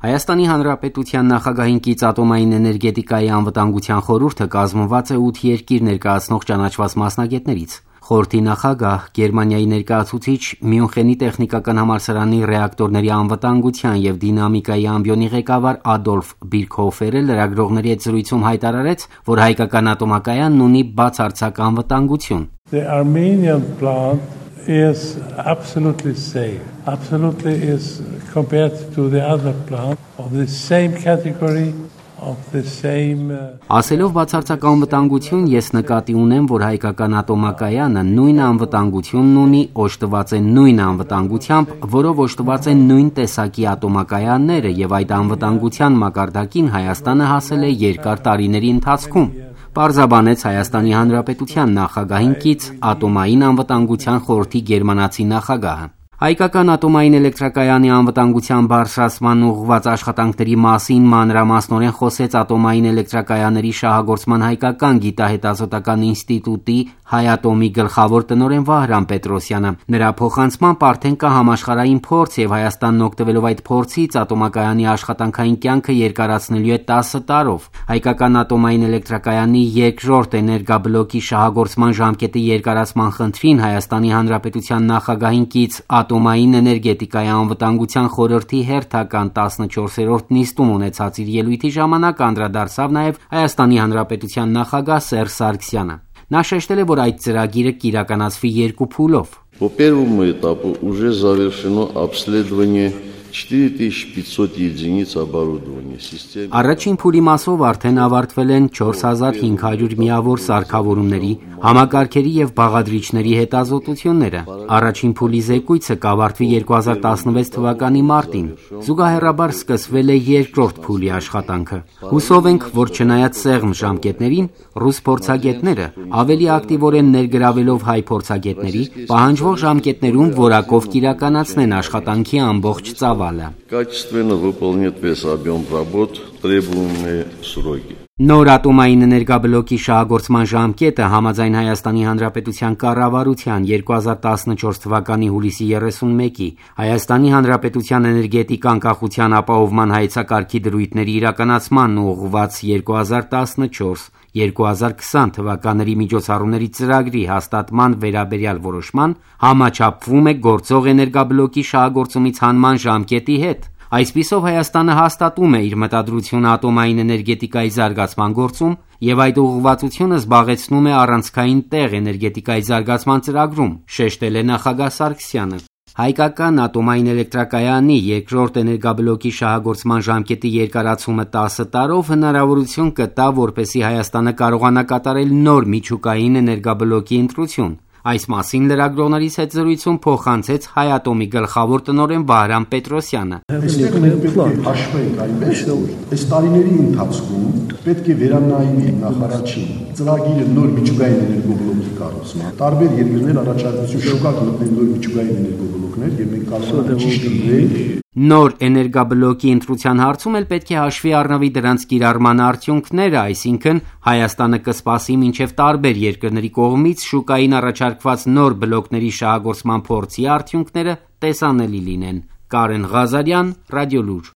Հայաստանի Հանրապետության նախագահին կից ատոմային էներգետիկայի անվտանգության խորհուրդը կազմված է 8 երկիր ներկայացնող ճանաչված մասնագետներից։ Խորհրդի նախագահ, Գերմանիայի ներկայացուցիչ, Մյունխենի տեխնիկական համալսարանի ռեակտորների անվտանգության եւ դինամիկայի ամբիոնի ղեկավար Ադոլֆ Բիրքհոֆերը լրագրողների հետ զրույցում հայտարարեց, որ հայկական ատոմակայանն ունի բացարձակ անվտանգություն։ The Armenian plant is absolutely safe. Absolutely is compared to the other plant of the same category. Ասելով բացարձակ անվտանգություն, ես նկատի ունեմ, որ հայկական ատոմակայանը նույն անվտանգությունն ունի, օժտված է նույն անվտանգությամբ, որով օժտված են նույն տեսակի ատոմակայանները եւ այդ անվտանգության մակարդակին Հայաստանը հասել է երկար տարիների ընթացքում։ Պարզաբանեց Հայաստանի Հանրապետության նախագահին կից ատոմային անվտանգության խորհրդի գերմանացի նախագահը։ Հայկական ատոմային էլեկտրակայանի անվտանգության բարձրացման ուղղված աշխատանքների մասին մանրամասնորեն խոսեց ատոմային էլեկտրակայանների շահագործման հայկական գիտահետազոտական ինստիտուտի Հայատոմի գլխավոր տնօրեն Վահրամ Պետրոսյանը։ Նրա փոխանցմամբ արդեն կա համաշխարհային փորձ եւ Հայաստանն օգտվելով այդ փորձից ատոմակայանի աշխատանքային կյանքը երկարացնելու է 10 տարով։ Հայկական ատոմային էլեկտրակայանի երկրորդ էներգաբլոկի շահագործման ժամկետի երկարացման խնդրին Հայաստանի Հանրապետության նախագահին կից ատոմային էներգետիկայի անվտանգության խորհրդի հերթական 14-րդ նիստում ունեցած իր ելույթի ժամանակ անդրադարձավ նաև Հայաստանի Հանրապետության նախագահ Սերժ Սարգսյանը։ Նա շեշտել է, որ այդ ծրագիրը կիրականացվի երկու փուլով։ По первому этапу уже завершено обследование 4500 единиц оборудования системы. Առաջին փուլի մասով արդեն ավարտվել են 4500 միավոր սարքավորումների, համակարգերի եւ բաղադրիչների հետազոտությունները։ Առաջին փուլի զեկույցը կավարտվի 2016 թվականի մարտին։ Զուգահեռաբար սկսվել է երկրորդ փուլի աշխատանքը։ Հուսով ենք, որ չնայած սեղմ ժամկետներին, ռուս փորձագետները ավելի ակտիվորեն ներգրավելով հայ փորձագետների, պահանջվող ժամկետներում որակով կիրականացնեն աշխատանքի ամբողջ ծավալը։ Качественно выполнит весь объем работ в требуемые сроки. Նոր ատոմային էներգաբլոկի շահագործման ժամկետը համաձայն Հայաստանի Հանրապետության կառավարության 2014 թվականի հուլիսի 31-ի Հայաստանի Հանրապետության էներգետիկ անկախության ապահովման հայեցակարգի դրույթների իրականացման ուղղված 2014-2020 թվականների միջոցառումների ծրագրի հաստատման վերաբերյալ որոշման համաչափվում է գործող էներգաբլոկի շահագործումից հանման ժամկետի հետ։ Այսպիսով Հայաստանը հաստատում է իր մտադրությունը ատոմային էներգետիկայի զարգացման գործում եւ այդ ուղղվածությունը զբաղեցնում է առանցքային տեղ էներգետիկայի զարգացման ծրագրում, շեշտել է նախագահ Սարգսյանը։ Հայկական ատոմային էլեկտրակայանի երկրորդ էներգաբլոկի շահագործման ժամկետի երկարացումը 10 տարով հնարավորություն կտա, որպեսզի Հայաստանը կարողանա կատարել նոր միջուկային էներգաբլոկի ընտրություն։ Այս մասին լրագրողներից հետ զրույցում փոխանցեց Հայատոմի գլխավոր տնօրեն Վահրամ Պետրոսյանը։ Այստեղ մենք պետք է հաշվենք այնպես, որ այս տարիների ընթացքում պետք է վերանայվի նախարարչին ծրագիրը նոր միջուկային էներգոբլոկի կառուցման։ Տարբեր երկրներ առաջարկություն շուկա գտնեն նոր միջուկային էներգոբլոկներ եւ մենք կարող ենք ճիշտ ընտրել։ Նոր էներգաբլոկի ընտրության հարցում էլ պետք է հաշվի առնվի դրանց կիրառման արդյունքները, այսինքն Հայաստանը կսպասի մինչև տարբեր երկրների կողմից շուկային առաջարկված նոր բլոկների շահագործման փորձի արդյունքները տեսանելի լինեն։ Կարեն Ղազարյան, Ռադիոլուր։